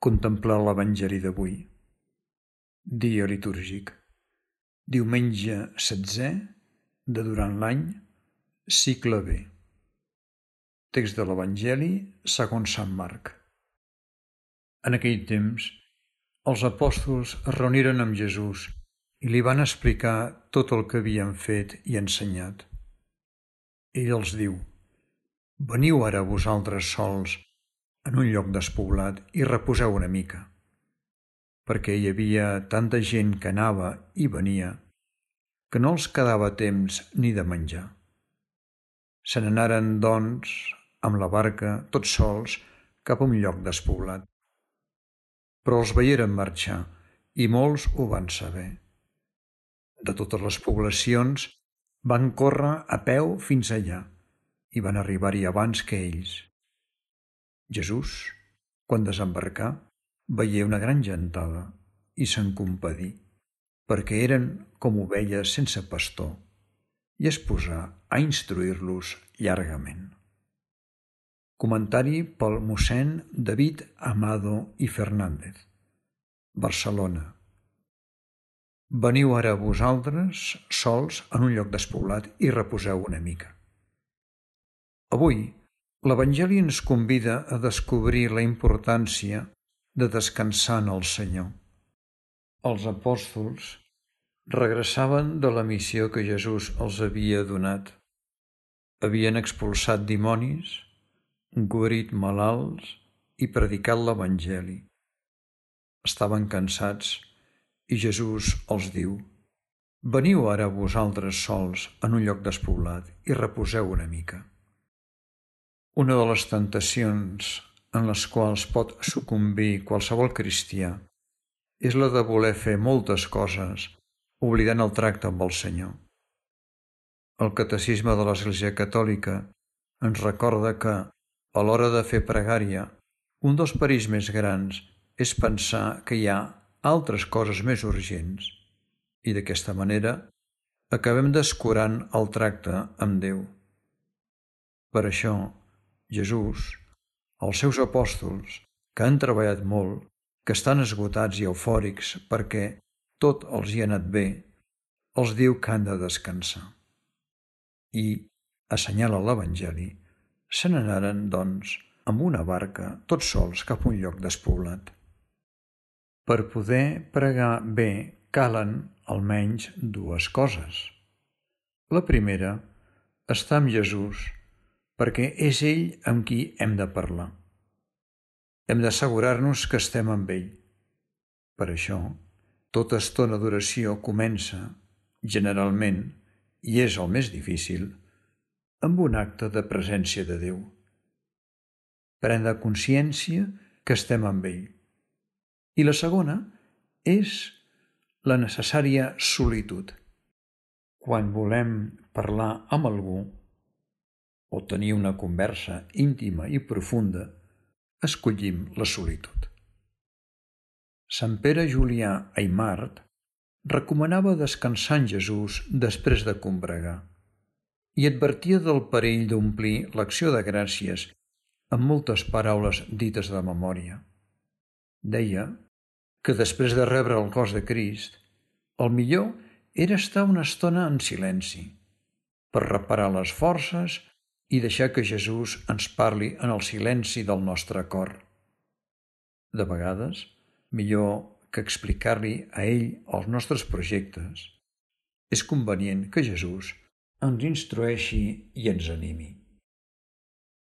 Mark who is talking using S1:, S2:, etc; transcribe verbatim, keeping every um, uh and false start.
S1: Contemplar l'Evangeli d'avui. Dia litúrgic. Diumenge setzè de durant l'any, cicle B. Text de l'Evangeli segons Sant Marc. En aquell temps, els apòstols es reuniren amb Jesús i li van explicar tot el que havien fet i ensenyat. Ell els diu: «Veniu ara vosaltres sols en un lloc despoblat i reposeu una mica», perquè hi havia tanta gent que anava i venia que no els quedava temps ni de menjar. Se n'anaren, doncs, amb la barca, tots sols, cap a un lloc despoblat. Però els veieren marxar i molts ho van saber. De totes les poblacions van córrer a peu fins allà i van arribar-hi abans que ells. Jesús, quan desembarcà, veié una gran gentada i se'n compadí, perquè eren com ovelles sense pastor, i es posà a instruir-los llargament. Comentari pel mossèn David Amado i Fernández, Barcelona. Veniu ara vosaltres sols en un lloc despoblat i reposeu una mica. Avui, l'Evangeli ens convida a descobrir la importància de descansar en el Senyor. Els apòstols regressaven de la missió que Jesús els havia donat. Havien expulsat dimonis, guarit malalts i predicat l'Evangeli. Estaven cansats i Jesús els diu: «Veniu ara vosaltres sols en un lloc despoblat i reposeu una mica». Una de les tentacions en les quals pot sucumbir qualsevol cristià és la de voler fer moltes coses oblidant el tracte amb el Senyor. El Catecisme de l'Església Catòlica ens recorda que, a l'hora de fer pregària, un dels perills més grans és pensar que hi ha altres coses més urgents i d'aquesta manera acabem descurant el tracte amb Déu. Per això, Jesús, els seus apòstols, que han treballat molt, que estan esgotats i eufòrics perquè tot els hi ha anat bé, els diu que han de descansar. I, assenyala l'Evangeli, se n'anaren, doncs, amb una barca, tots sols, cap a un lloc despoblat. Per poder pregar bé calen almenys dues coses. La primera, estar amb Jesús, perquè és ell amb qui hem de parlar. Hem d'assegurar-nos que estem amb ell. Per això, tota estona d'oració comença, generalment, i és el més difícil, amb un acte de presència de Déu. Prendre consciència que estem amb ell. I la segona és la necessària solitud. Quan volem parlar amb algú o tenir una conversa íntima i profunda, escollim la solitud. Sant Pere Julià Aimart recomanava descansar en Jesús després de combregar i advertia del perill d'omplir l'acció de gràcies amb moltes paraules dites de memòria. Deia que després de rebre el cos de Crist, el millor era estar una estona en silenci, per reparar les forces i deixar que Jesús ens parli en el silenci del nostre cor. De vegades, millor que explicar-li a ell els nostres projectes, és convenient que Jesús ens instrueixi i ens animi.